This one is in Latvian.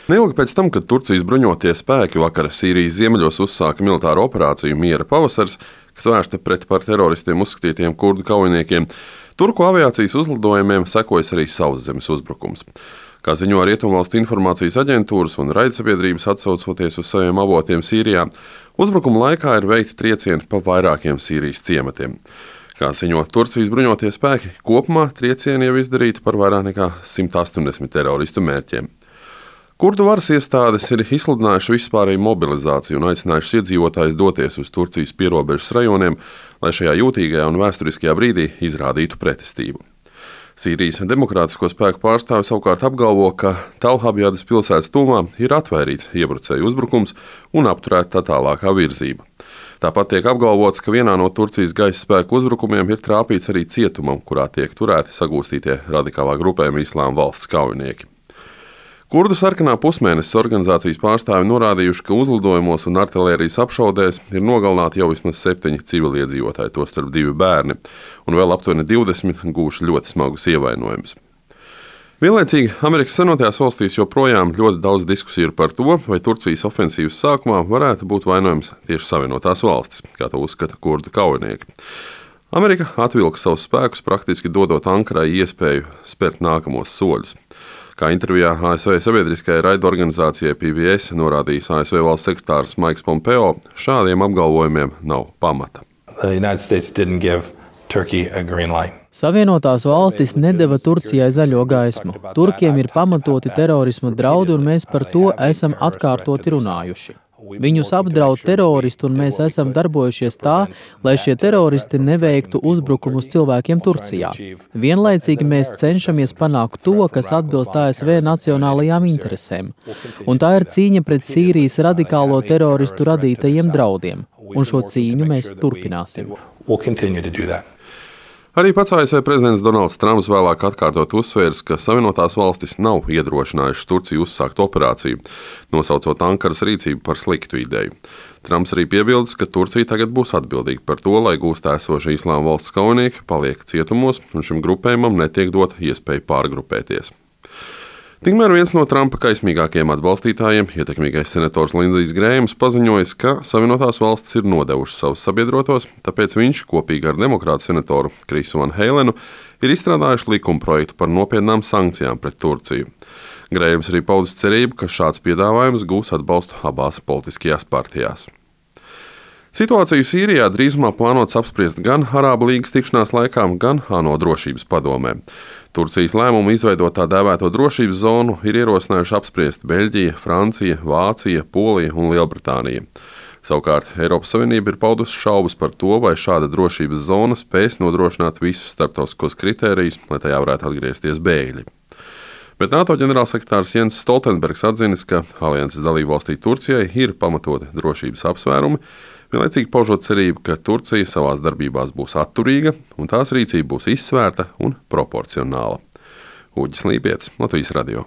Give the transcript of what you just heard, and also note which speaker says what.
Speaker 1: Neilgi pēc tam, kad Turcijas bruņotie spēki vakar Sīrijas ziemeļos uzsāka militāru operāciju Miera pavasars, kas vērsta pret par teroristiem uzskatītiem kurdu kaujiniekiem, turku aviācijas uzlidojumiem sekojas arī sauszemes uzbrukums. Kā ziņo Rietumvalstu informācijas aģentūras un raidsabiedrības atsaucoties uz saviem avotiem Sīrijā, uzbrukuma laikā ir veikti triecieni pa vairākiem Sīrijas ciematiem. Kā ziņo Turcijas bruņotie spēki, kopumā triecieni jau izdarīti par vairāk nekā 180 teroristu mērķiem. Kurdu varas iestādes ir izsludinājuši vispārēju mobilizāciju un aicinājuši iedzīvotājus doties uz Turcijas pierobežas rajoniem, lai šajā jūtīgajā un vēsturiskajā brīdī izrādītu pretestību. Sīrijas demokrātisko spēku pārstāvi savukārt apgalvo, ka Talhabjadas pilsētas tuvumā ir atvērīts iebrucēju uzbrukums un apturēta tā tālākā virzība. Tāpat tiek apgalvots, ka vienā no Turcijas gaisa spēku uzbrukumiem ir trāpīts arī cietumam, kurā tiek turēti sagūstītie radikālā grupējuma Islāma valsts kaujinieki. Kurdu sarkanā pusmēnesis organizācijas pārstāvi norādījuši, ka uzlidojumos un artilērijas apšaudēs ir nogalināti jau vismaz 7 civiliedzīvotāji, tostarp 2 bērni, un vēl aptuveni 20 gūši ļoti smagus ievainojumus. Vienlaicīgi Amerikas Savienotajās valstīs joprojām ļoti daudz diskusiju ir par to, vai Turcijas ofensīvas sākumā varētu būt vainojams tieši Savienotās valstis, kā to uzskata kurdu kaujinieki. Amerika atvilka savus spēkus, praktiski dodot Ankarai iespēju spērt nākamos soļus. Kā intervijā ASV sabiedriskajai raidorganizācijai PBS norādījis ASV valsts sekretārs Maiks Pompeo, šādiem apgalvojumiem nav pamata.
Speaker 2: Savienotās valstis nedeva Turcijai zaļo gaismu. Turkiem ir pamatoti terorisma draudi, un mēs par to esam atkārtoti runājuši. Viņus apdraud teroristi, un mēs esam darbojušies tā, lai šie teroristi neveiktu uzbrukumus cilvēkiem Turcijā. Vienlaicīgi mēs cenšamies panākt to, kas atbilst ASV nacionālajām interesēm. Un tā ir cīņa pret Sīrijas radikālo teroristu radītajiem draudiem. Un šo cīņu mēs turpināsim.
Speaker 1: Arī pats ASV prezidents Donalds Trumps vēlāk atkārtot uzsvērs, ka Savienotās valstis nav iedrošinājušas Turciju uzsākt operāciju, nosaucot Ankaras rīcību par sliktu ideju. Trumps arī piebildis, ka Turcija tagad būs atbildīga par to, lai gūstā esošie Islāma valsts kaujinieki paliek cietumos, un šim grupējumam netiek dot iespēju pārgrupēties. Tikmēr viens no Trumpa kaismīgākajiem atbalstītājiem, ietekmīgais senators Lindsijs Grējams, paziņojis, ka Savienotās valstis ir nodevušas savus sabiedrotos, tāpēc viņš kopīgi ar demokrātu senatoru Krisu Van Heilenu ir izstrādājuši likumprojektu par nopietnām sankcijām pret Turciju. Grējams arī paudis cerību, ka šāds piedāvājums gūs atbalstu abās politiskajās partijās. Situāciju Sīrijā drīzumā plānots apspriest gan Arābu līgas tikšanās laikā, gan ANO drošības padomē. Turcijas lēmumu izveidot tā dēvēto drošības zonu ir ierosinājuši apspriest Beļģija, Francija, Vācija, Polija un Lielbritānija. Savukārt Eiropas Savienība ir paudusi šaubas par to, vai šāda drošības zona spēs nodrošināt visus starptautiskos kritērijus, lai tajā varētu atgriezties bēgļi. Bet NATO ģenerālsekretārs Jens Stoltenbergs atzinis, ka alianses dalībvalstī Turcijai ir pamatoti drošības apsvērumi, vienlaicīgi paužot cerību, ka Turcija savās darbībās būs atturīga un tās rīcība būs izsvērta un proporcionāla. Uģis Lībietis, Latvijas radio.